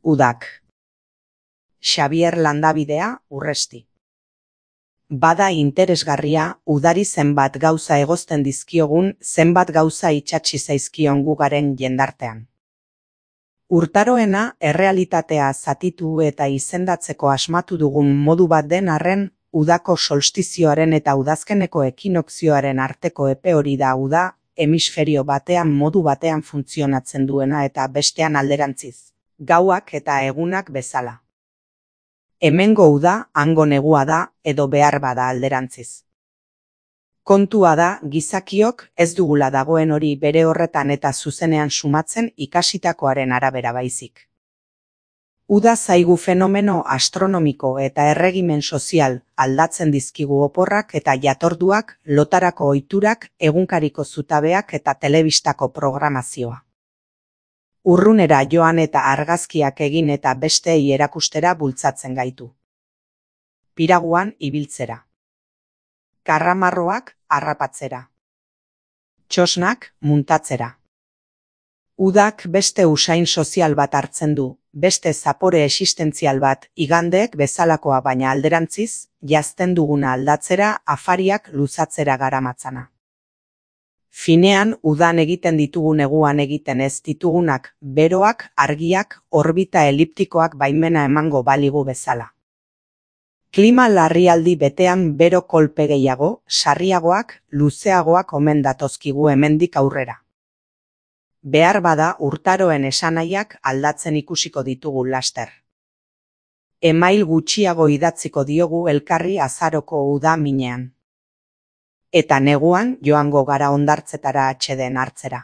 Udak. Xabier Landabidea, Urresti. Bada interesgarria, udari zenbat gauza egozten dizkiogun, zenbat gauza itsatsi zaizkion gugaren jendartean. Urtaroena errealitatea zatitu eta izendatzeko asmatu dugun modu bat den arren, udako solstizioaren eta udazkeneko ekinokzioaren arteko epe hori da uda, hemisferio batean modu batean funtzionatzen duena eta bestean alderantziz, gauak eta egunak bezala. Hemengo uda, hango negua da, edo behar bada alderantziz. Kontua da, gizakiok ez dugula dagoen hori bere horretan eta zuzenean sumatzen ikasitakoaren arabera baizik. Uda zaigu fenomeno astronomiko eta erregimen sozial aldatzen dizkigu oporrak eta jatorduak, lotarako ohiturak, egunkariko zutabeak eta telebistako programazioa. Urrunera joan eta argazkiak egin eta besteei erakustera bultzatzen gaitu. Piraguan ibiltzera. Karramarroak harrapatzera. Txosnak muntatzera. Udak beste usain sozial bat hartzen du, beste zapore existentzial bat, igandeek bezalakoa baina alderantziz, jazten duguna aldatzera, afariak luzatzera garamatzana. Finean, udan egiten ditugu neguan egiten ez ditugunak, beroak, argiak, orbita eliptikoak baimena emango baligu bezala. Klima larrialdi betean bero kolpe gehiago, sarriagoak, luzeagoak omen datozkigu hemendik aurrera. Behar bada urtaroen esanahiak aldatzen ikusiko ditugu laster. Email gutxiago idatziko diogu elkarri azaroko uda minean. Eta neguan joango gara hondartzetara atsedeen hartzera.